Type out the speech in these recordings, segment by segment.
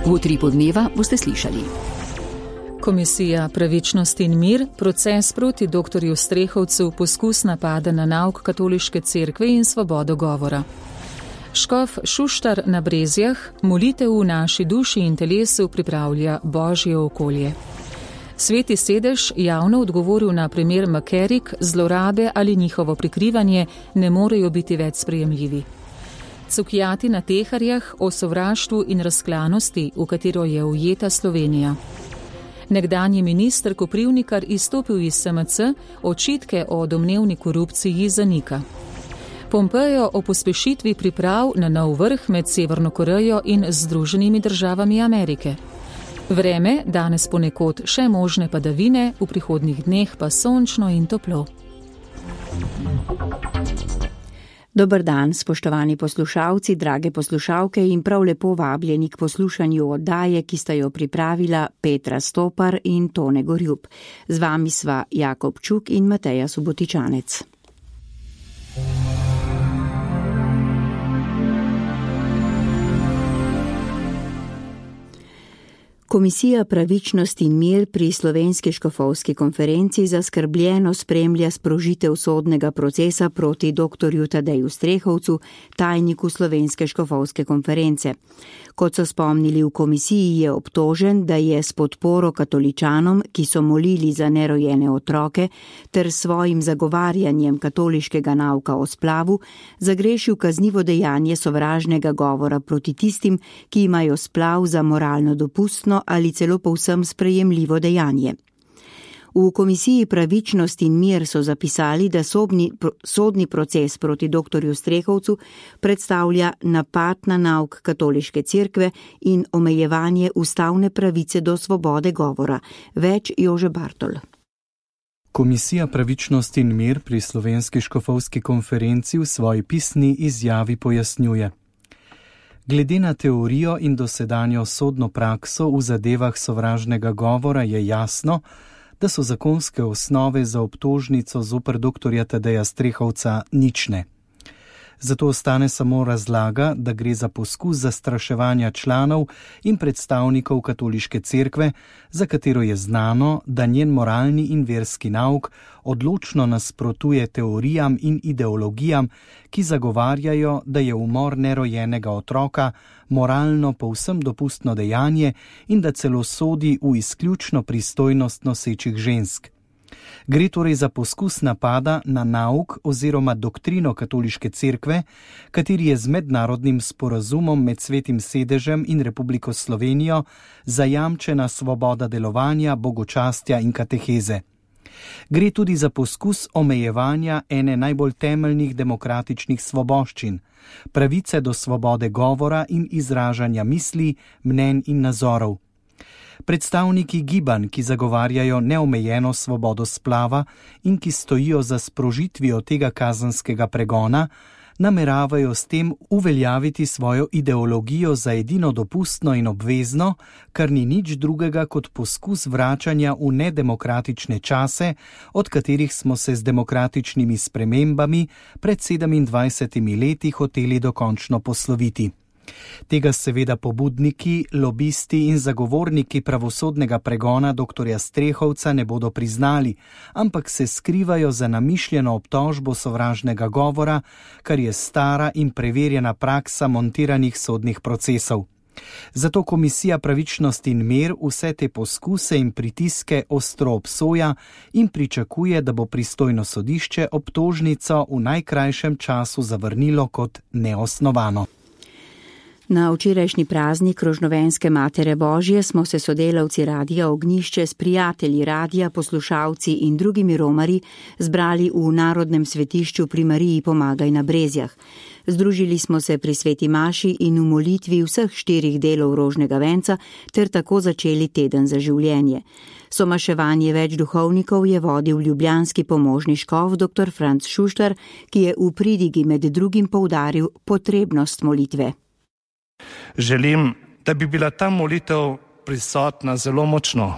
V Utripu dneva boste slišali. Komisija Pravičnost in mir, proces proti dr. Strehovcu, poskus napada na nauk katoliške cerkve in svobodo govora. Škof Šuštar na Brezjah, molitev v naši duši in telesu pripravlja Božje okolje. Sveti sedež javno odgovoril na primer Makerik, zlorabe ali njihovo prikrivanje ne morejo biti več sprejemljivi. Cukjati na Teharjah o sovraštvu in razklanosti, v katero je ujeta Slovenija. Nekdanji minister Koprivnikar izstopil iz SMC, očitke o domnevni korupciji zanika. Pompejo o pospešitvi priprav na nov vrh med Severno Korejo in Združenimi državami Amerike. Vreme, danes ponekod še možne padavine, v prihodnjih dneh pa sončno in toplo. Dober dan, spoštovani poslušalci, drage poslušalke in prav lepo vabljeni k poslušanju oddaje, ki sta jo pripravila Petra Stopar in Tone Gorjup. Z vami sva Jakob Čuk in Mateja Subotičanec. Komisija Pravičnost in mir pri Slovenski škofovski konferenci zaskrbljeno spremlja sprožitev sodnega procesa proti dr. Tadeju Strehovcu, tajniku Slovenske škofovske konference. Kot so spomnili v komisiji, je obtožen, da je s podporo katoličanom, ki so molili za nerojene otroke, ter svojim zagovarjanjem katoliškega nauka o splavu, zagrešil kaznivo dejanje sovražnega govora proti tistim, ki imajo splav za moralno dopustno ali celo povsem sprejemljivo dejanje. V komisiji Pravičnost in mir so zapisali, da sodni proces proti dr. Strehovcu predstavlja napad na nauk katoliške cerkve in omejevanje ustavne pravice do svobode govora. Več Jože Bartol. Komisija Pravičnost in mir pri Slovenski škofovski konferenci v svoji pisni izjavi pojasnjuje. Glede na teorijo in dosedanjo sodno prakso v zadevah sovražnega govora je jasno, da so zakonske osnove za obtožnico zoper dr. Tadeja Strehovca nične. Zato ostane samo razlaga, da gre za poskus zastraševanja članov in predstavnikov katoliške cerkve, za katero je znano, da njen moralni in verski nauk odločno nasprotuje teorijam in ideologijam, ki zagovarjajo, da je umor nerojenega otroka moralno povsem dopustno dejanje in da celo sodi v izključno pristojnost nosečih žensk. Gre torej za poskus napada na nauk oziroma doktrino katoliške cerkve, kateri je z mednarodnim sporazumom med Svetim sedežem in Republiko Slovenijo zajamčena svoboda delovanja, bogočastja in kateheze. Gre tudi za poskus omejevanja ene najbolj temeljnih demokratičnih svoboščin, pravice do svobode govora in izražanja misli, mnenj in nazorov. Predstavniki gibanj, ki zagovarjajo neomejeno svobodo splava in ki stojijo za sprožitvijo tega kazenskega pregona, nameravajo s tem uveljaviti svojo ideologijo za edino dopustno in obvezno, kar ni nič drugega kot poskus vračanja v nedemokratične čase, od katerih smo se z demokratičnimi spremembami pred 27 leti hoteli dokončno posloviti. Tega seveda pobudniki, lobisti in zagovorniki pravosodnega pregona dr. Strehovca ne bodo priznali, ampak se skrivajo za namišljeno obtožbo sovražnega govora, kar je stara in preverjena praksa montiranih sodnih procesov. Zato Komisija Pravičnost in mir vse te poskuse in pritiske ostro obsoja in pričakuje, da bo pristojno sodišče obtožnico v najkrajšem času zavrnilo kot neosnovano. Na včerajšnji praznik Rožnovenske Matere Božje smo se sodelavci Radia Ognjišče s prijatelji radia, poslušalci in drugimi romarji zbrali v Narodnem svetišču pri Mariji Pomagaj na Brezjah. Združili smo se pri sveti maši in v molitvi vseh 4 delov rožnega venca ter tako začeli teden za življenje. Somaševanje več duhovnikov je vodil ljubljanski pomožni škof dr. Franc Šuštar, ki je v pridigi med drugim poudaril potrebnost molitve. Želim, da bi bila ta molitev prisotna zelo močno.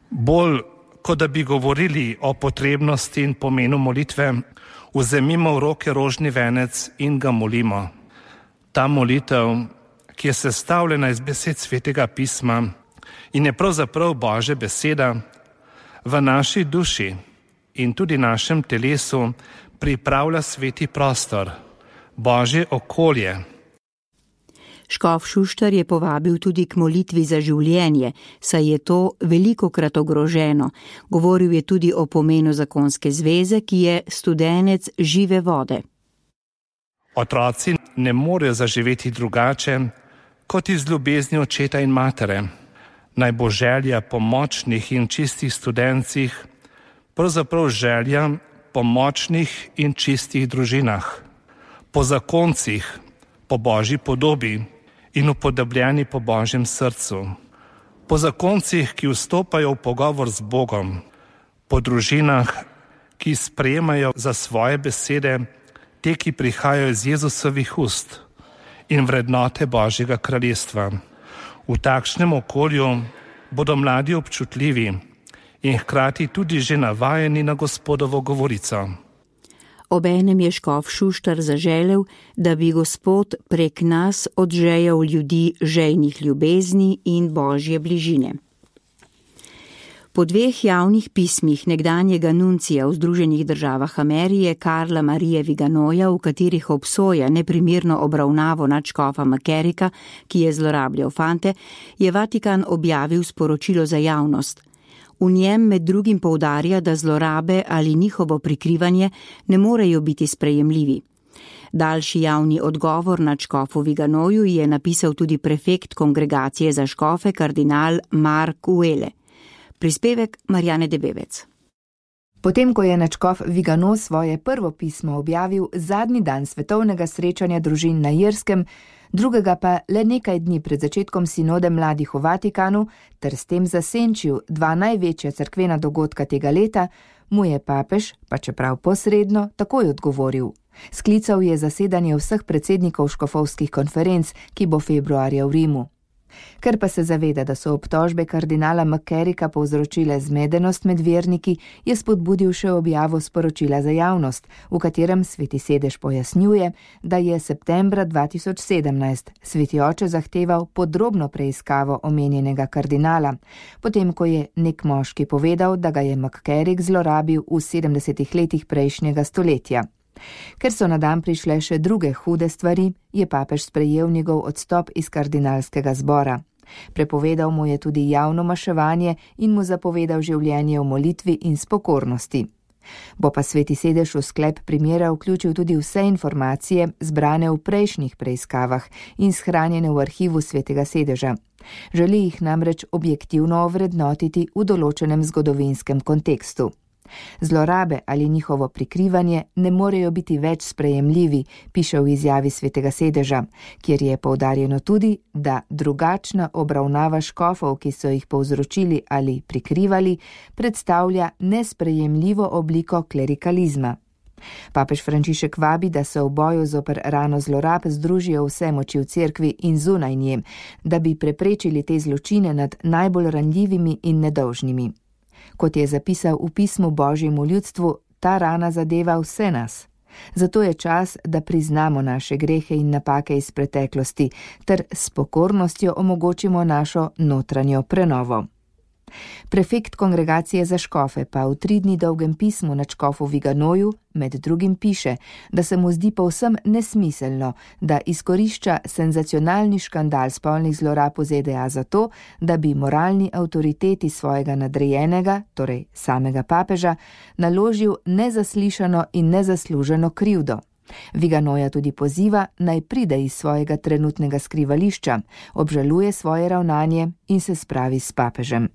Bolj, kot da bi govorili o potrebnosti in pomenu molitve, vzemimo v roke rožni venec in ga molimo. Ta molitev, ki je sestavljena iz besed Svetega pisma in je pravzaprav Božja beseda, v naši duši in tudi našem telesu pripravlja sveti prostor, Božje okolje. Škof Šuštar je povabil tudi k molitvi za življenje, saj je to velikokrat ogroženo. Govoril je tudi o pomenu zakonske zveze, ki je studenec žive vode. Otroci ne morejo zaživeti drugače, kot iz ljubezni očeta in matere. Naj bo želja po močnih in čistih studencih, pravzaprav želja po močnih in čistih družinah, po zakoncih, po Božji podobi in upodobljeni po Božjem srcu, po zakoncih, ki vstopajo v pogovor z Bogom, po družinah, ki sprejemajo za svoje besede te, ki prihajajo iz Jezusovih ust in vrednote Božjega kraljestva. V takšnem okolju bodo mladi občutljivi in hkrati tudi že navajeni na Gospodovo govorico. Obenem je škof Šuštar zaželel, da bi Gospod prek nas odžejal ljudi žejnih ljubezni in Božje bližine. Po 2 javnih pismih nekdanjega nuncija v Združenih državah Amerike Karla Marije Viganoja, v katerih obsoja neprimerno obravnavo nadškofa McCarricka, ki je zlorabljal fante, je Vatikan objavil sporočilo za javnost. V njem med drugim poudarja, da zlorabe ali njihovo prikrivanje ne morejo biti sprejemljivi. Daljši javni odgovor nadškofu Viganoju je napisal tudi prefekt kongregacije za škofe kardinal Mark Uele. Prispevek Marjane Debevec. Potem, ko je nadškof Vigano svoje prvo pismo objavil zadnji dan svetovnega srečanja družin na Irskem, drugega pa le nekaj dni pred začetkom sinode mladih v Vatikanu, ter s tem zasenčil 2 največja cerkvena dogodka tega leta, mu je papež, pa čeprav posredno, takoj odgovoril. Sklical je zasedanje vseh predsednikov škofovskih konferenc, ki bo februarja v Rimu. Ker pa se zaveda, da so obtožbe kardinala McCarricka povzročile zmedenost med verniki, je spodbudil še objavo sporočila za javnost, v katerem Sveti sedež pojasnjuje, da je septembra 2017 Sveti oče zahteval podrobno preiskavo omenjenega kardinala, potem ko je nek moški povedal, da ga je McCarrick zlorabil v 70 letih prejšnjega stoletja. Ker so na dan prišle še druge hude stvari, je papež sprejel njegov odstop iz kardinalskega zbora. Prepovedal mu je tudi javno maševanje in mu zapovedal življenje v molitvi in s pokornosti. Bo pa Sveti sedež v sklep primera vključil tudi vse informacije, zbrane v prejšnjih preiskavah in shranjene v arhivu Svetega sedeža. Želi jih namreč objektivno ovrednotiti v določenem zgodovinskem kontekstu. Zlorabe ali njihovo prikrivanje ne morejo biti več sprejemljivi, piše v izjavi Svetega sedeža, kjer je poudarjeno tudi, da drugačna obravnava škofov, ki so jih povzročili ali prikrivali, predstavlja nesprejemljivo obliko klerikalizma. Papež Frančišek vabi, da se v boju zoper rano zlorab združijo vse moči v cerkvi in zunaj nje, da bi preprečili te zločine nad najbolj ranljivimi in nedolžnimi. Kot je zapisal v pismu Božjemu ljudstvu, ta rana zadeva vse nas. Zato je čas, da priznamo naše grehe in napake iz preteklosti, ter s pokornostjo omogočimo našo notranjo prenovo. Prefekt kongregacije za škofe pa v 3 dni dolgem pismu nadškofu Viganoju med drugim piše, da se mu zdi povsem nesmiselno, da izkorišča senzacionalni škandal spolnih zlorab v ZDA za to, da bi moralni avtoriteti svojega nadrejenega, torej samega papeža, naložil nezaslišano in nezasluženo krivdo. Viganoja tudi poziva, naj pride iz svojega trenutnega skrivališča, obžaluje svoje ravnanje in se spravi s papežem.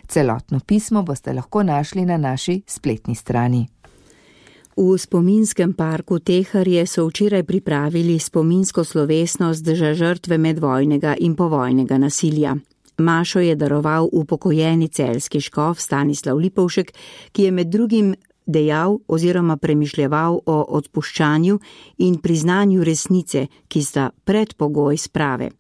Celotno pismo boste lahko našli na naši spletni strani. V spominskem parku Teharje so včeraj pripravili spominsko slovesnost za žrtve medvojnega in povojnega nasilja. Mašo je daroval upokojeni celjski škof Stanislav Lipovšek, ki je med drugim dejal oziroma premišljeval o odpuščanju in priznanju resnice, ki sta predpogoj sprave.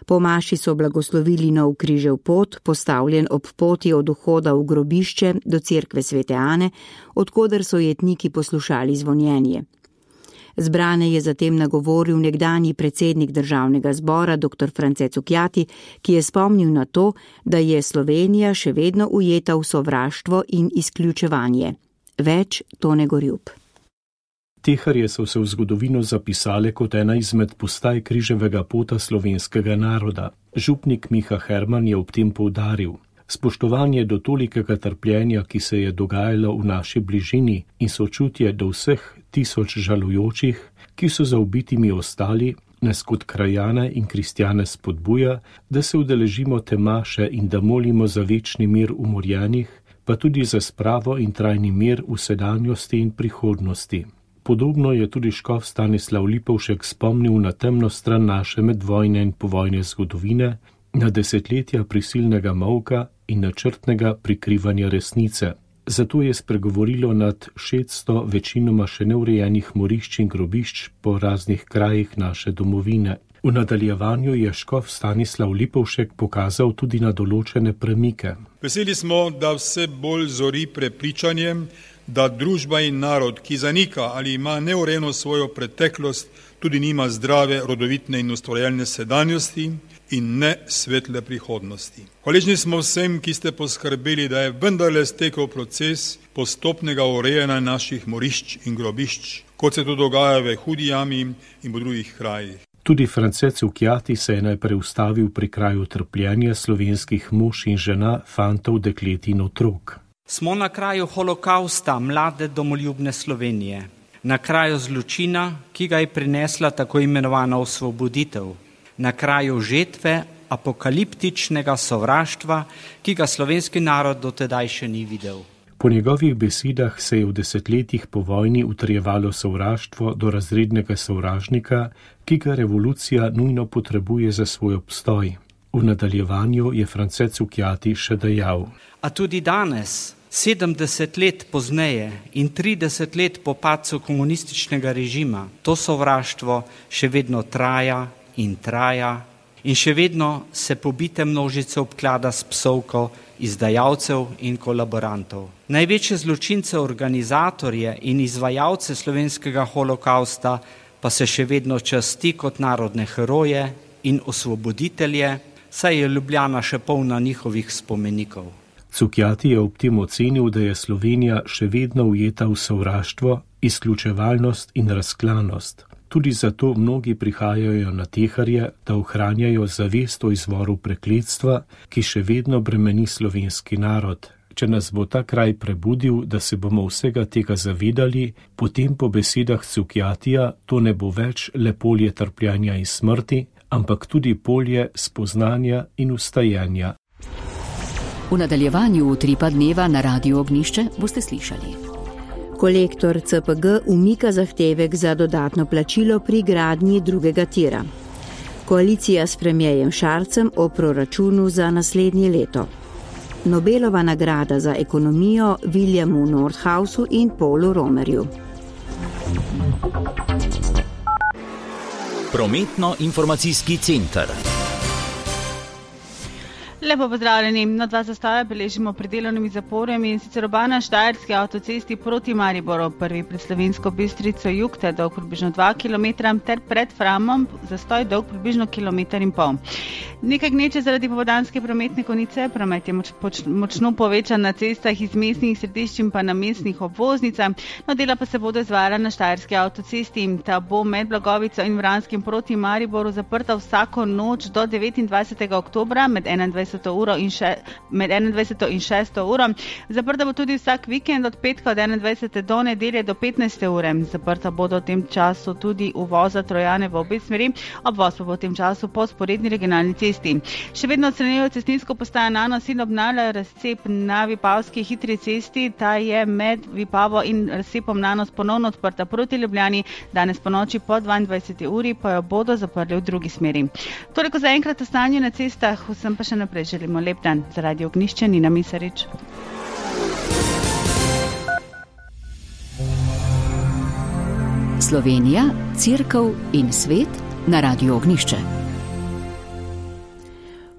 Po maši so blagoslovili nov križev pot, postavljen ob poti od vhoda v grobišče do cerkve Svete Ane, odkoder so jetniki poslušali zvonjenje. Zbrane je zatem nagovoril nekdanji predsednik državnega zbora dr. France Cukjati, ki je spomnil na to, da je Slovenija še vedno ujeta v sovraštvo in izključevanje. Več Tone Gorjup. Teharje so se v zgodovino zapisale kot ena izmed postaj križevega pota slovenskega naroda. Župnik Miha Herman je ob tem poudaril: spoštovanje do tolikega trpljenja, ki se je dogajalo v naši bližini, in sočutje do vseh tisoč žalujočih, ki so za ubitimi ostali, nas kot krajane in kristjane spodbuja, da se udeležimo te maše in da molimo za večni mir umorjenih, pa tudi za spravo in trajni mir v sedanjosti in prihodnosti. Podobno je tudi škof Stanislav Lipovšek spomnil na temno stran naše medvojne in povojne zgodovine, na desetletja prisilnega molka in načrtnega prikrivanja resnice. Zato je spregovorilo nad 600 večinoma še neurejenih morišč in grobišč po raznih krajih naše domovine. V nadaljevanju je škof Stanislav Lipovšek pokazal tudi na določene premike. Veseli smo, da vse bolj zori prepričanje, da družba in narod, ki zanika ali ima neurejeno svojo preteklost, tudi nima zdrave, rodovitne in ustvarjalne sedanjosti in ne svetle prihodnosti. Hvaležni smo vsem, ki ste poskrbeli, da je vendarle stekel proces postopnega urejanja naših morišč in grobišč, kot se to dogaja v Hudi jami in v drugih krajih. Tudi France Cukjati se je najprej ustavil pri kraju trpljenja slovenskih mož in žena, fantov, deklet in otrok. Smo na kraju holokausta mlade domoljubne Slovenije, na kraju zločina, ki ga je prinesla tako imenovana osvoboditev, na kraju žetve apokaliptičnega sovraštva, ki ga slovenski narod dotedaj še ni videl. Po njegovih besedah se je v desetletjih po vojni utrjevalo sovraštvo do razrednega sovražnika, ki ga revolucija nujno potrebuje za svoj obstoj. V nadaljevanju je France Cukjati še dejal: A tudi danes, 70 let pozneje in 30 let po padcu komunističnega režima, to sovraštvo še vedno traja in še vedno se pobite množice obklada s psovko izdajalcev in kolaborantov. Največje zločince, organizatorje in izvajalce slovenskega holokausta pa se še vedno časti kot narodne heroje in osvoboditelje, saj je Ljubljana še polna njihovih spomenikov. Cukjati je ob tem ocenil, da je Slovenija še vedno ujeta v sovraštvo, izključevalnost in razklanost. Tudi zato mnogi prihajajo na teharje, da ohranjajo zavest o izvoru prekletstva, ki še vedno bremeni slovenski narod. Če nas bo ta kraj prebudil, da se bomo vsega tega zavedali, potem po besedah Cukjatija to ne bo več le polje trpljenja in smrti, ampak tudi polje spoznanja in vstajenja. V nadaljevanju Utripa dneva na Radiu Ognjišče boste slišali. Kolektor CPG umika zahtevek za dodatno plačilo pri gradnji drugega tira. Koalicija s premierjem Šarcem o proračunu za naslednje leto. Nobelova nagrada za ekonomijo Williamu Nordhausu in Paulu Romerju. Prometno-informacijski center. Lepo pozdravljeni. Na 2 zastoje beležimo pred delovnimi zaporami, in sicer oba na štajerski avtocesti proti Mariboru, prvi pred Slovensko Bistrico jug, ter dolg približno 2 km, ter pred Framom zastoj dolg približno 1,5 km. Nekaj gneče zaradi popoldanske prometne konice, promet je močno povečan na cestah iz mestnih središč in pa na mestnih obvoznicah, no dela pa se bodo izvajala na štajerski avtocesti. Ta bo med Blagovico in Vranskim proti Mariboru zaprta vsako noč do 29. oktobra med 21. in 6. uro. Zaprta bo tudi vsak vikend od petka od 21. do nedelje do 15. ure. Zaprta bodo v tem času tudi uvoza Trojane v obe smeri, obvoz pa bo v tem času po sporedni regionalni cesti. Še vedno odstranjujejo cestninsko postajo Nanos in obnavljajo razcep na Vipavski hitri cesti. Ta je med Vipavo in razcepom Nanos ponovno odprta proti Ljubljani. Danes po noči po 22. uri pa jo bodo zaprli v drugi smeri. Toliko za enkrat o stanju na cestah, vsem pa še naprej želimo lep dan. Za Radio Ognjišče Nina Misarič. Slovenija, Cerkev in svet na Radiu Ognjišče.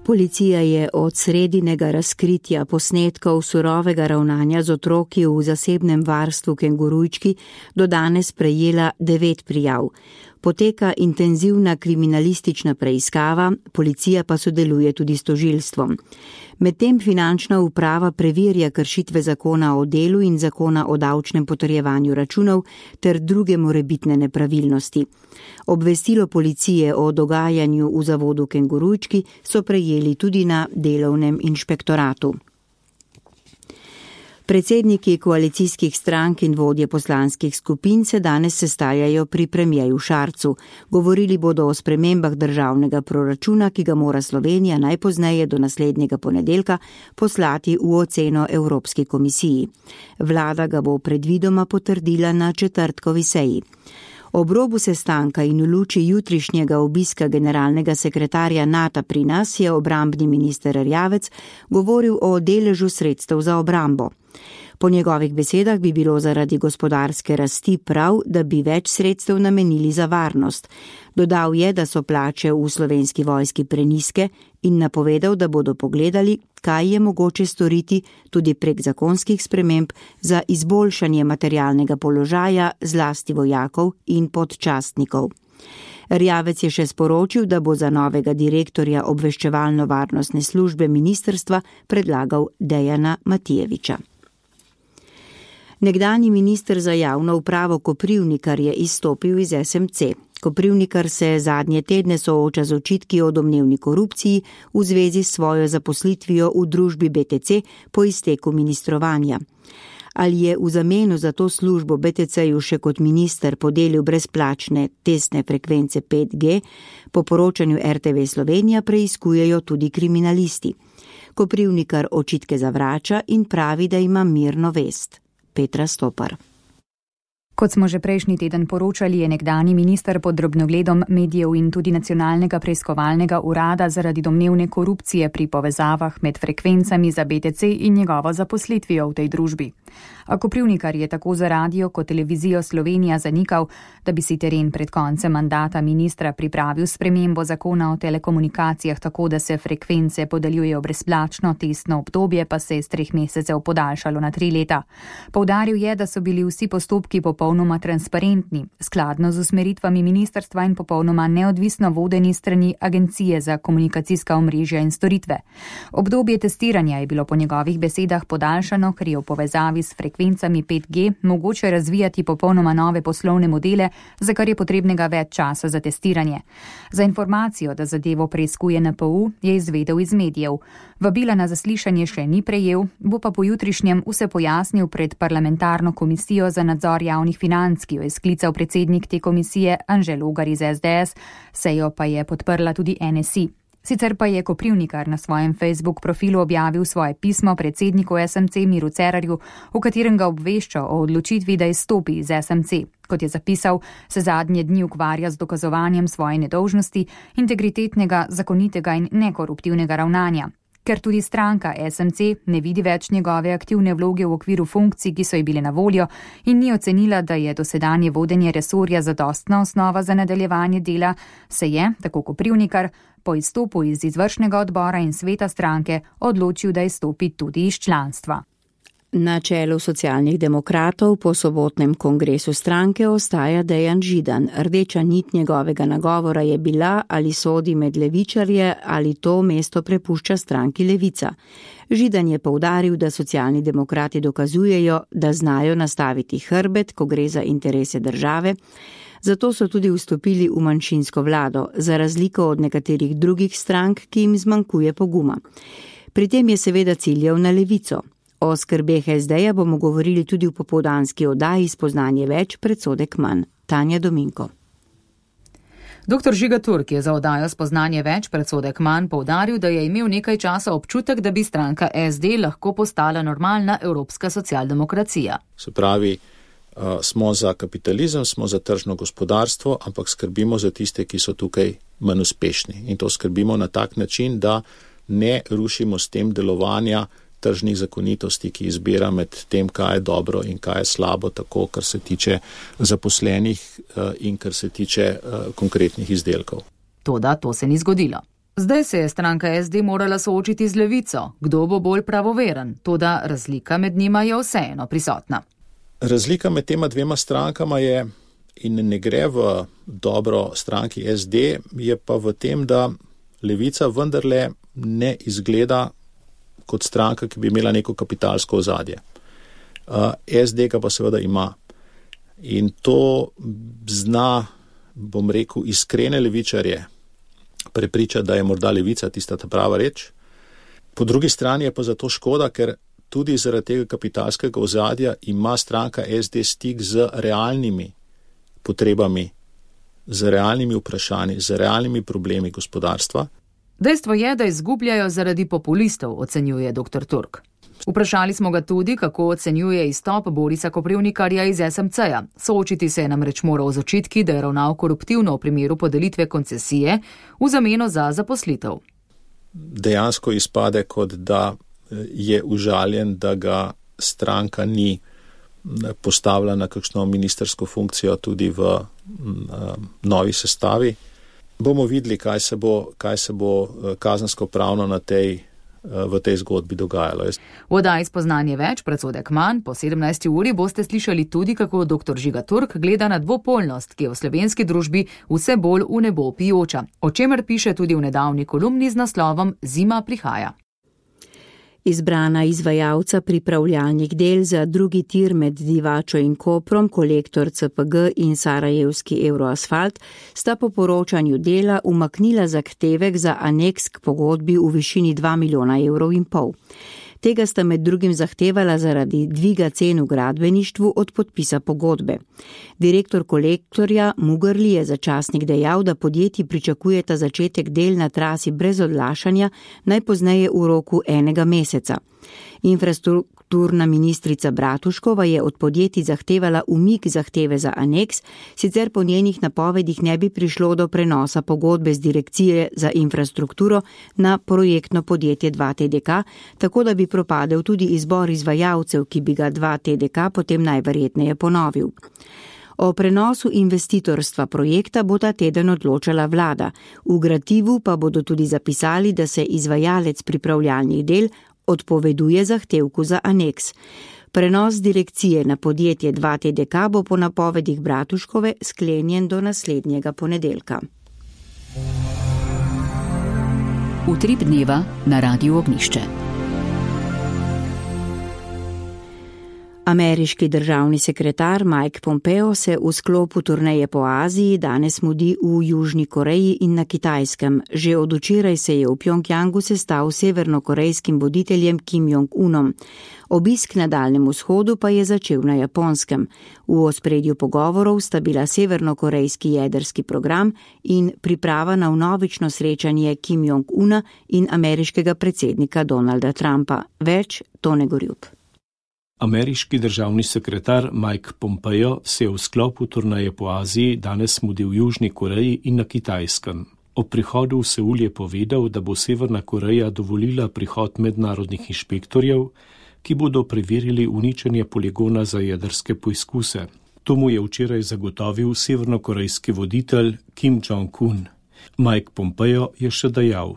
Policija je od sredinega razkritja posnetkov surovega ravnanja z otroki v zasebnem varstvu Kengurujčki do danes prejela 9 prijav. Poteka intenzivna kriminalistična preiskava, policija pa sodeluje tudi s tožilstvom. Medtem finančna uprava preverja kršitve zakona o delu in zakona o davčnem potrjevanju računov ter druge morebitne nepravilnosti. Obvestilo policije o dogajanju v zavodu Kengurujčki so prejeli tudi na delovnem inšpektoratu. Predsedniki koalicijskih strank in vodje poslanskih skupin se danes sestajajo pri premierju Šarcu. Govorili bodo o spremembah državnega proračuna, ki ga mora Slovenija najpozneje do naslednjega ponedeljka poslati v oceno Evropski komisiji. Vlada ga bo predvidoma potrdila na četrtkovi seji. Ob robu sestanka in v luči jutrišnjega obiska generalnega sekretarja NATO pri nas je obrambni minister Erjavec govoril o deležu sredstev za obrambo. Po njegovih besedah bi bilo zaradi gospodarske rasti prav, da bi več sredstev namenili za varnost. Dodal je, da so plače v Slovenski vojski prenizke in napovedal, da bodo pogledali, kaj je mogoče storiti tudi prek zakonskih sprememb za izboljšanje materialnega položaja zlasti vojakov in podčastnikov. Erjavec je še sporočil, da bo za novega direktorja obveščevalno-varnostne službe ministrstva predlagal Dejana Matijeviča. Nekdanji minister za javno upravo Koprivnikar je izstopil iz SMC. Koprivnikar se zadnje tedne sooča z očitki o domnevni korupciji v zvezi s svojo zaposlitvijo v družbi BTC po izteku ministrovanja. Ali je v zameno za to službo BTC-ju še kot minister podelil brezplačne testne frekvence 5G, po poročanju RTV Slovenija preiskujejo tudi kriminalisti. Koprivnikar očitke zavrača in pravi, da ima mirno vest. Petra Stopar. Kot smo že prejšnji teden poročali, je nekdanji minister pod drobnogledom medijev in tudi nacionalnega preiskovalnega urada zaradi domnevne korupcije pri povezavah med frekvencami za BTC in njegovo zaposlitvijo v tej družbi. A Koprivnikar je tako za radio kot televizijo Slovenija zanikal, da bi si teren pred koncem mandata ministra pripravil spremembo zakona o telekomunikacijah tako, da se frekvence podeljujejo brezplačno, testno obdobje pa se je z 3 mesecev podaljšalo na 3 leta. Poudaril je, da so bili vsi postopki popolnoma transparentni, skladno z usmeritvami ministrstva in popolnoma neodvisno vodeni strani Agencije za komunikacijska omrežja in storitve. Obdobje testiranja je bilo po njegovih besedah podaljšano, ker je v povezavi s frekvencami 5G mogoče razvijati popolnoma nove poslovne modele, za kar je potrebnega več časa za testiranje. Za informacijo, da zadevo preiskuje NPU, je izvedel iz medijev. Vabila na zaslišanje še ni prejel, bo pa po jutrišnjem vse pojasnil pred parlamentarno komisijo za nadzor javnih financ, ki jo je sklical predsednik te komisije Anže Logar iz SDS, sejo pa je podprla tudi NSI. Sicer pa je Koprivnikar na svojem Facebook profilu objavil svoje pismo predsedniku SMC Miru Cerarju, v katerem ga obvešča o odločitvi, da izstopi iz SMC. Kot je zapisal, se zadnje dni ukvarja z dokazovanjem svoje nedolžnosti, integritetnega, zakonitega in nekoruptivnega ravnanja. Ker tudi stranka SMC ne vidi več njegove aktivne vloge v okviru funkcij, ki so ji bile na voljo, in ni ocenila, da je dosedanje vodenje resorja zadostna osnova za nadaljevanje dela, se je, tako Koprivnikar, po izstopu iz izvršnega odbora in sveta stranke odločil, da izstopi tudi iz članstva. Na čelu Socialnih demokratov po sobotnem kongresu stranke ostaja Dejan Židan. Rdeča nit njegovega nagovora je bila, ali sodi med levičarje ali to mesto prepušča stranki Levica. Židan je poudaril, da Socialni demokrati dokazujejo, da znajo nastaviti hrbet, ko gre za interese države, zato so tudi vstopili v manjšinsko vlado, za razliko od nekaterih drugih strank, ki jim zmanjkuje poguma. Pri tem je seveda ciljal na Levico. O skrbeh SD-ja bomo govorili tudi v popoldanski oddaji Spoznanje več, predsodek manj. Tanja Dominko. Dr. Žiga Turk je za oddajo Spoznanje več, predsodek manj poudaril, da je imel nekaj časa občutek, da bi stranka SD lahko postala normalna evropska socialdemokracija. Se pravi, smo za kapitalizem, smo za tržno gospodarstvo, ampak skrbimo za tiste, ki so tukaj manj uspešni. In to skrbimo na tak način, da ne rušimo s tem delovanja tržnih zakonitosti, ki izbira med tem, kaj je dobro in kaj je slabo, tako kar se tiče zaposlenih in kar se tiče konkretnih izdelkov. Toda to se ni zgodilo. Zdaj se je stranka SD morala soočiti z levico, kdo bo bolj pravoveren, toda razlika med njima je vseeno prisotna. Razlika med tema dvema strankama je, in ne gre v dobro stranki SD, je pa v tem, da levica vendarle ne izgleda kot stranka, ki bi imela neko kapitalsko ozadje. SD ga pa seveda ima. In to zna, bom rekel, iskrene levičarje prepričati, da je morda levica tista ta prava reč. Po drugi strani je pa zato škoda, ker tudi zaradi tega kapitalskega ozadja ima stranka SD stik z realnimi potrebami, z realnimi vprašanji, z realnimi problemi gospodarstva. Dejstvo je, da izgubljajo zaradi populistov, ocenjuje dr. Turk. Vprašali smo ga tudi, kako ocenjuje izstop Borisa Koprivnikarja iz SMC-ja. Soočiti se je namreč moral z očitki, da je ravnal koruptivno v primeru podelitve koncesije v zameno za zaposlitev. Dejansko izpade, kot da je užaljen, da ga stranka ni postavila na kakšno ministersko funkcijo tudi v novi sestavi. Bomo videli, kaj se bo kazensko-pravno v tej zgodbi dogajalo. V oddaji Spoznanje več, predsodek manj, po 17. uri boste slišali tudi, kako dr. Žiga Turk gleda na dvopolnost, ki je v slovenski družbi vse bolj v nebo pijoča, o čemer piše tudi v nedavni kolumni z naslovom Zima prihaja. Izbrana izvajalca pripravljalnih del za drugi tir med Divačo in Koprom, Kolektor CPG in Sarajevski Euroasfalt, sta po poročanju dela umaknila zahtevek za aneks k pogodbi v višini 2,5 milijona evrov. Tega sta med drugim zahtevala zaradi dviga cen v gradbeništvu od podpisa pogodbe. Direktor Kolektorja Mugrli je za časnik dejal, da podjetji pričakujeta začetek del na trasi brez odlašanja, najpozneje v roku 1 meseca. Infrastrukturna ministrica Bratuškova je od podjetij zahtevala umik zahteve za aneks, sicer po njenih napovedih ne bi prišlo do prenosa pogodbe z Direkcije za infrastrukturo na projektno podjetje 2TDK, tako da bi propadel tudi izbor izvajalcev, ki bi ga 2TDK potem najverjetneje ponovil. O prenosu investitorstva projekta bo ta teden odločala vlada. V gradivu pa bodo tudi zapisali, da se izvajalec pripravljalnih del odpoveduje zahtevku za aneks. Prenos direkcije na podjetje 2TDK bo po napovedih Bratuškove sklenjen do naslednjega ponedeljka. Utrip dneva na Radiu Ognišče. Ameriški državni sekretar Mike Pompeo se v sklopu turneje po Aziji danes mudi v Južni Koreji in na Kitajskem. Že od včeraj se je v Pjongjangu sestal s severnokorejskim voditeljem Kim Jong-unom. Obisk na Daljnem vzhodu pa je začel na Japonskem. V ospredju pogovorov sta bila severnokorejski jedrski program in priprava na vnovično srečanje Kim Jong-una in ameriškega predsednika Donalda Trumpa. Več Tone Gorjup. Ameriški državni sekretar Mike Pompeo se je v sklopu turneje po Aziji danes mudil v Južni Koreji in na Kitajskem. Ob prihodu v Seul je povedal, da bo Severna Koreja dovolila prihod mednarodnih inšpektorjev, ki bodo preverili uničenje poligona za jedrske poizkuse. To mu je včeraj zagotovil severnokorejski voditelj Kim Jong-un. Mike Pompeo je še dejal: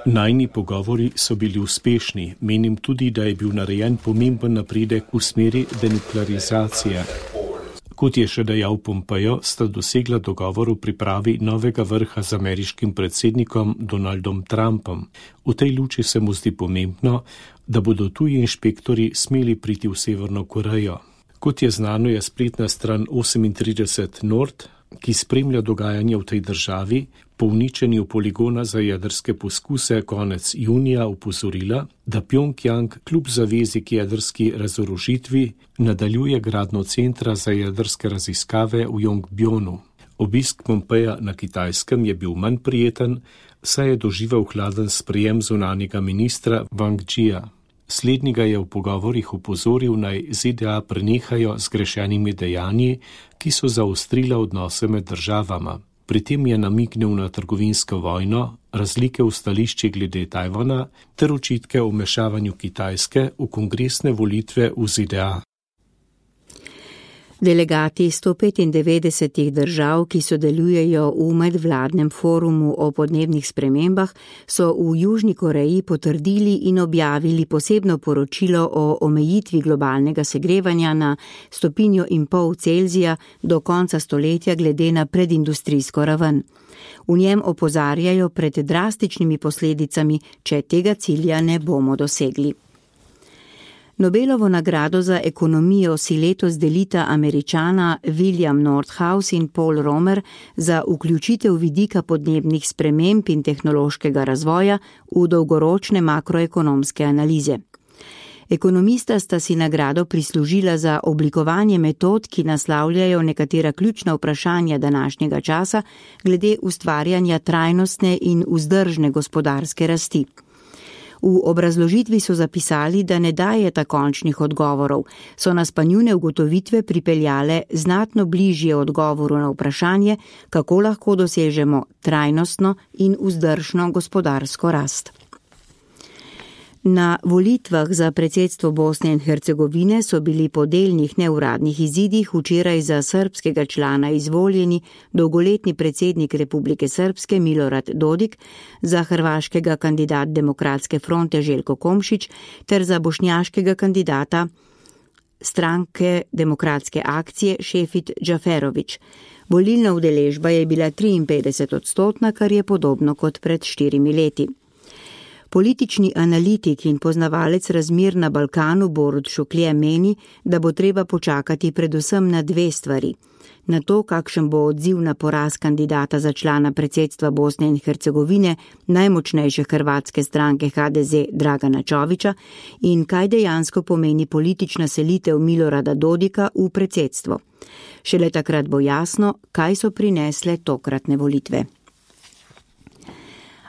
Najni pogovori so bili uspešni. Menim tudi, da je bil narejen pomemben napredek v smeri denuklearizacije. Kot je še dejal Pompeo, sta dosegla dogovor v pripravi novega vrha z ameriškim predsednikom Donaldom Trumpom. V tej luči se mu zdi pomembno, da bodo tuji inšpektori smeli priti v Severno Korejo. Kot je znano, je spletna stran 38 Nord, ki spremlja dogajanje v tej državi, po uničenju poligona za jedrske poskuse konec junija opozorila, da Pjongjang kljub zavezi k jedrski razorožitvi nadaljuje gradnjo centra za jedrske raziskave v Yongbjonu. Obisk Pompeja na Kitajskem je bil manj prijeten, saj je doživel hladen sprejem zunanjega ministra Wang Jia. Slednjega je v pogovorih opozoril, naj ZDA prenehajo z grešenimi dejanji, ki so zaostrila odnose med državama. Pri tem je namignil na trgovinsko vojno, razlike v stališči glede Tajvana ter očitke o vmešavanju Kitajske v kongresne volitve v ZDA. Delegati 195 držav, ki sodelujejo v medvladnem forumu o podnebnih spremembah, so v Južni Koreji potrdili in objavili posebno poročilo o omejitvi globalnega segrevanja na 1,5 stopinje Celzija do konca stoletja glede na predindustrijsko raven. V njem opozarjajo pred drastičnimi posledicami, če tega cilja ne bomo dosegli. Nobelovo nagrado za ekonomijo si letos delita Američana William Nordhaus in Paul Romer za vključitev vidika podnebnih sprememb in tehnološkega razvoja v dolgoročne makroekonomske analize. Ekonomista sta si nagrado prislužila za oblikovanje metod, ki naslavljajo nekatera ključna vprašanja današnjega časa glede ustvarjanja trajnostne in vzdržne gospodarske rasti. V obrazložitvi so zapisali, da ne dajeta končnih odgovorov, so nas pa njune ugotovitve pripeljale znatno bližje odgovoru na vprašanje, kako lahko dosežemo trajnostno in vzdržno gospodarsko rast. Na volitvah za predsedstvo Bosne in Hercegovine so bili po delnih neuradnih izidih včeraj za srbskega člana izvoljeni dolgoletni predsednik Republike Srpske Milorad Dodik, za hrvaškega kandidat Demokratske fronte Željko Komšić ter za bošnjaškega kandidata stranke Demokratske akcije Šefik Džaferović. Volilna udeležba je bila 53%, kar je podobno kot pred 4 leti. Politični analitik in poznavalec razmer na Balkanu Borut Šuklje meni, da bo treba počakati predvsem na 2 stvari. Na to, kakšen bo odziv na poraz kandidata za člana predsedstva Bosne in Hercegovine, najmočnejše hrvatske stranke HDZ Dragana Čovića, in kaj dejansko pomeni politična selitev Milorada Dodika v predsedstvo. Šele takrat bo jasno, kaj so prinesle tokratne volitve.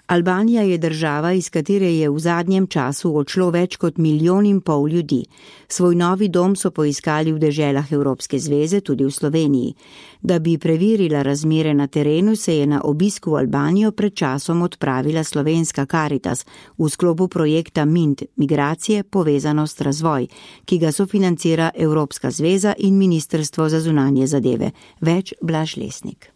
Albanija je država, iz katere je v zadnjem času odšlo več kot 1,5 milijona ljudi. Svoj novi dom so poiskali v deželah Evropske zveze, tudi v Sloveniji. Da bi preverila razmere na terenu, se je na obisku v Albanijo pred časom odpravila slovenska Caritas v sklopu projekta MINT, migracije, povezanost, razvoj, ki ga sofinancira Evropska zveza in Ministrstvo za zunanje zadeve. Več Blaž Lesnik.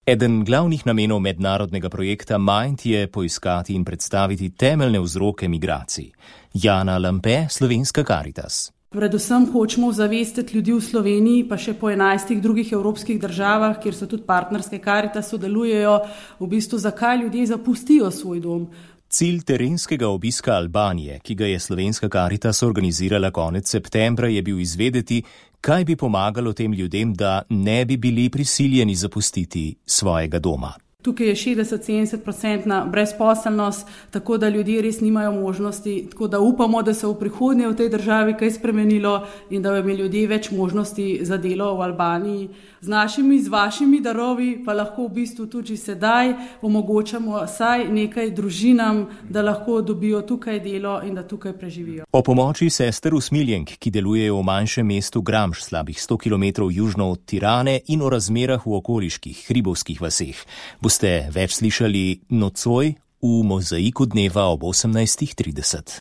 Eden glavnih namenov mednarodnega projekta MIND je poiskati in predstaviti temeljne vzroke migracij. Jana Lampe, slovenska Caritas. Predvsem hočemo zavestiti ljudi v Sloveniji, pa še po 11 drugih evropskih državah, kjer so tudi partnerske Caritas sodelujejo, v bistvu zakaj ljudje zapustijo svoj dom. Cilj terenskega obiska Albanije, ki ga je slovenska Caritas organizirala konec septembra, je bil izvedeti, kaj bi pomagalo tem ljudem, da ne bi bili prisiljeni zapustiti svojega doma. Tukaj je 60-70% brezposelnost, tako da ljudje res nimajo možnosti, tako da upamo, da se v prihodnje v tej državi kaj spremenilo in da bi ljudje več možnosti za delo v Albaniji. Z vašimi darovi pa lahko v bistvu tudi sedaj omogočamo vsaj nekaj družinam, da lahko dobijo tukaj delo in da tukaj preživijo. O pomoči sester usmiljenk, ki delujejo v manjšem mestu Gramš, slabih 100 km južno od Tirane, in o razmerah v okoliških hribovskih vaseh, boste več slišali nocoj v Mozaiku dneva ob 18:30.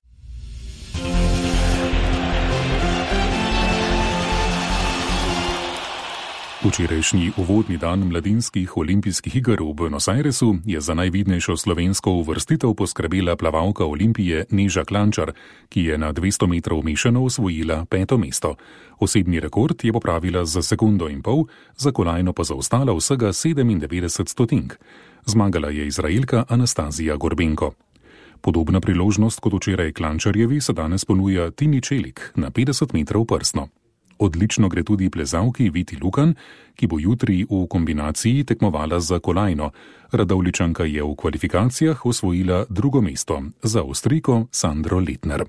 Včerajšnji uvodni dan mladinskih olimpijskih iger v Buenos Airesu je za najvidnejšo slovensko uvrstitev poskrbela plavalka Olimpije Neža Klančar, ki je na 200 metrov mešano osvojila 5. mesto. Osebni rekord je popravila za 1,5 sekunde, za kolajno pa zaostala vsega 97 stotink. Zmagala je Izraelka Anastazija Gorbenko. Podobna priložnost kot včeraj Klančarjevi se danes ponuja Tini Čelik na 50 metrov prsno. Odlično gre tudi plezalki Viti Lukan, ki bo jutri v kombinaciji tekmovala za kolajno. Radovljičanka je v kvalifikacijah osvojila 2. mesto za Avstrijko Sandro Letner.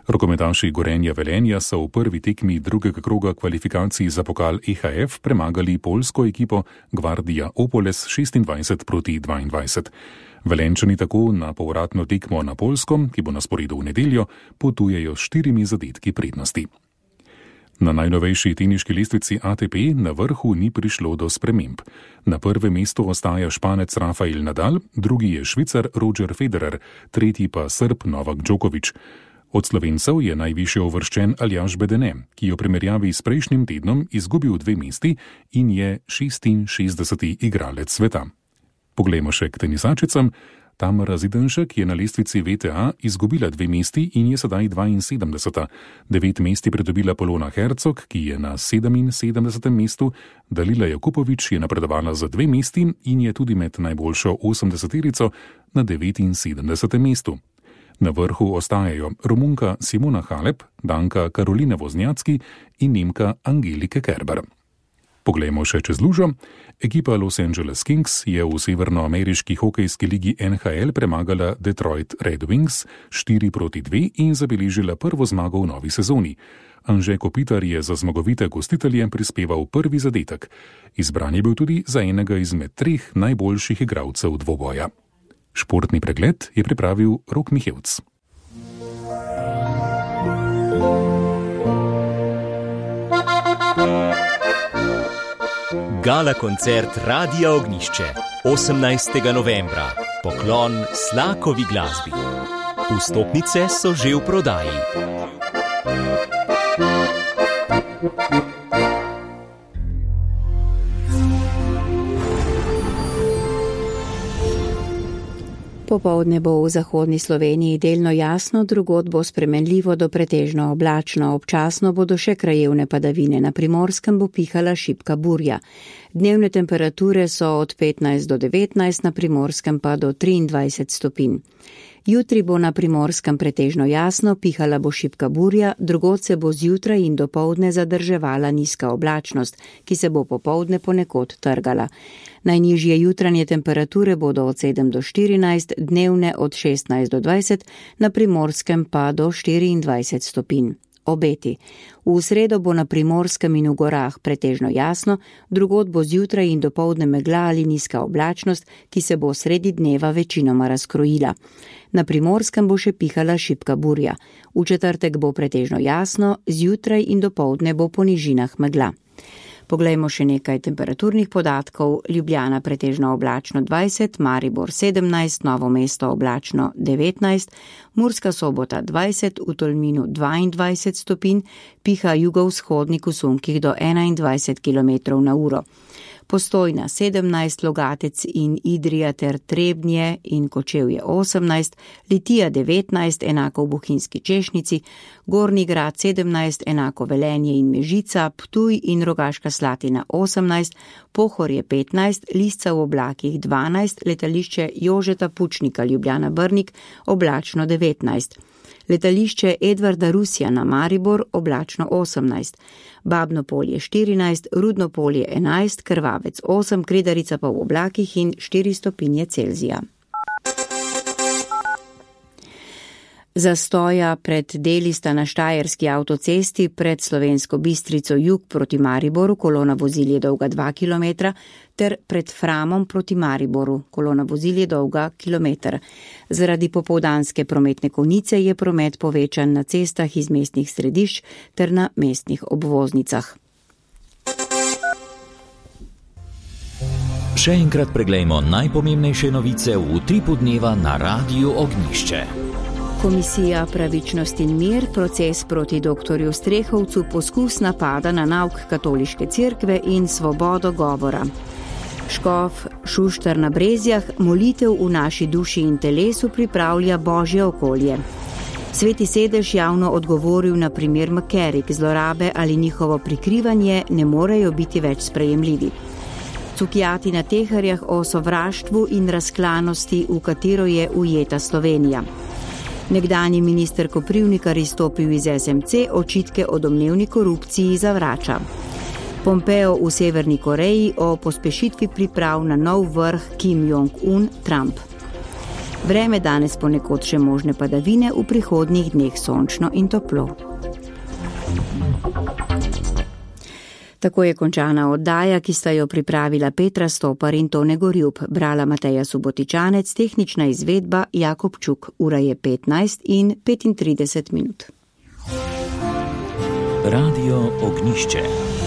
Rokometaši Gorenja Velenja so v prvi tekmi drugega kroga kvalifikacij za pokal EHF premagali poljsko ekipo Gvardija Opoles 26-22. Velenčani tako na povratno tekmo na Poljsko, ki bo na sporedu v nedeljo, potujejo s 4 zadetki prednosti. Na najnovejši teniški lestvici ATP na vrhu ni prišlo do sprememb. Na prvem mestu ostaja Španec Rafael Nadal, drugi je Švicar Roger Federer, tretji pa Srb Novak Djokovic. Od Slovencev je najvišje uvrščen Aljaž Bedene, ki je v primerjavi s prejšnjim tednom izgubil 2 mesti in je 66. igralec sveta. Poglejmo še k tenisačicam. Tamara Zidenšek je na lestvici VTA izgubila 2 mesti in je sedaj 72. 9 mesti pridobila Polona Hercog, ki je na 77. mestu. Dalila Jakupovič je napredovala za 2 mesti in je tudi med najboljšo 80-terico na 79. mestu. Na vrhu ostajajo Romunka Simona Halep, Danka Karolina Voznjacki in Nemka Angelike Kerber. Poglejmo še čez lužo. Ekipa Los Angeles Kings je v severnoameriški hokejski ligi NHL premagala Detroit Red Wings 4-2 in zabeležila prvo zmago v novi sezoni. Anže Kopitar je za zmagovite gostitelje prispeval prvi zadetek. Izbran je bil tudi za enega izmed 3 najboljših igralcev dvoboja. Športni pregled je pripravil Rok Mihevc. Gala koncert Radia Ognjišče 18. novembra. Poklon Slakovi glasbi. Vstopnice so že v prodaji. Popoldne bo v zahodni Sloveniji delno jasno, drugod bo spremenljivo do pretežno oblačno, občasno bodo še krajevne padavine, na Primorskem bo pihala šibka burja. Dnevne temperature so od 15 do 19, na Primorskem pa do 23 stopinj. Jutri bo na Primorskem pretežno jasno, pihala bo šibka burja, drugod se bo zjutraj in dopoldne zadrževala nizka oblačnost, ki se bo popoldne ponekod trgala. Najnižje jutranje temperature bodo od 7 do 14, dnevne od 16 do 20, na Primorskem pa do 24 stopinj. Obeti. V sredo bo na Primorskem in v gorah pretežno jasno, drugod bo zjutraj in dopoldne megla ali nizka oblačnost, ki se bo sredi dneva večinoma razkrojila. Na Primorskem bo še pihala šibka burja. V četrtek bo pretežno jasno, zjutraj in dopoldne bo po nižinah megla. Poglejmo še nekaj temperaturnih podatkov. Ljubljana pretežno oblačno 20, Maribor 17, Novo mesto oblačno 19, Murska Sobota 20, v Tolminu 22 stopinj, piha jugovzhodnik v sunkih do 21 km/h. Postojna 17, Logatec in Idrija ter Trebnje in Kočevje 18, Litija 19, enako v Bohinjski Češnici, Gornji Grad 17, enako Velenje in Mežica, Ptuj in Rogaška Slatina 18, Pohorje 15, Lisca v oblakih 12, letališče Jožeta Pučnika Ljubljana Brnik oblačno 19. Letališče Edvarda Rusjana Maribor oblačno 18, Babno polje 14, Rudno polje 11, Krvavec 8, Kredarica pa v oblakih in 4 stopinje Celzija. Zastoja pred deli sta na Štajerski avtocesti pred Slovensko Bistrico jug proti Mariboru, kolona vozil je dolga 2 km, ter pred Framom proti Mariboru, kolona vozil je dolga kilometer. Zaradi popoldanske prometne konice je promet povečan na cestah iz mestnih središč ter na mestnih obvoznicah. Še enkrat preglejmo najpomembnejše novice v utripu dneva na Radiu Ognjišče. Komisija Pravičnost in mir, proces proti doktorju Strehovcu, poskus napada na nauk katoliške cerkve in svobodo govora. Škof Šuštar na Brezjah, molitev v naši duši in telesu pripravlja božje okolje. Sveti sedež javno odgovoril na primer Makerik, zlorabe ali njihovo prikrivanje ne morejo biti več sprejemljivi. Cukjati na teharjah o sovraštvu in razklanosti, v katero je ujeta Slovenija. Nekdanji minister Koprivnikar izstopil iz SMC, očitke o domnevni korupciji zavrača. Pompeo v Severni Koreji o pospešitvi priprav na nov vrh Kim Jong-un Trump. Vreme danes ponekod še možne padavine, v prihodnjih dneh sončno in toplo. Tako je končana oddaja, ki sta jo pripravila Petra Stopar in Tone Gorjub, brala Mateja Subotičanec, tehnična izvedba Jakob Čuk, ura je 15 in 35 minut. Radio Ognjišče.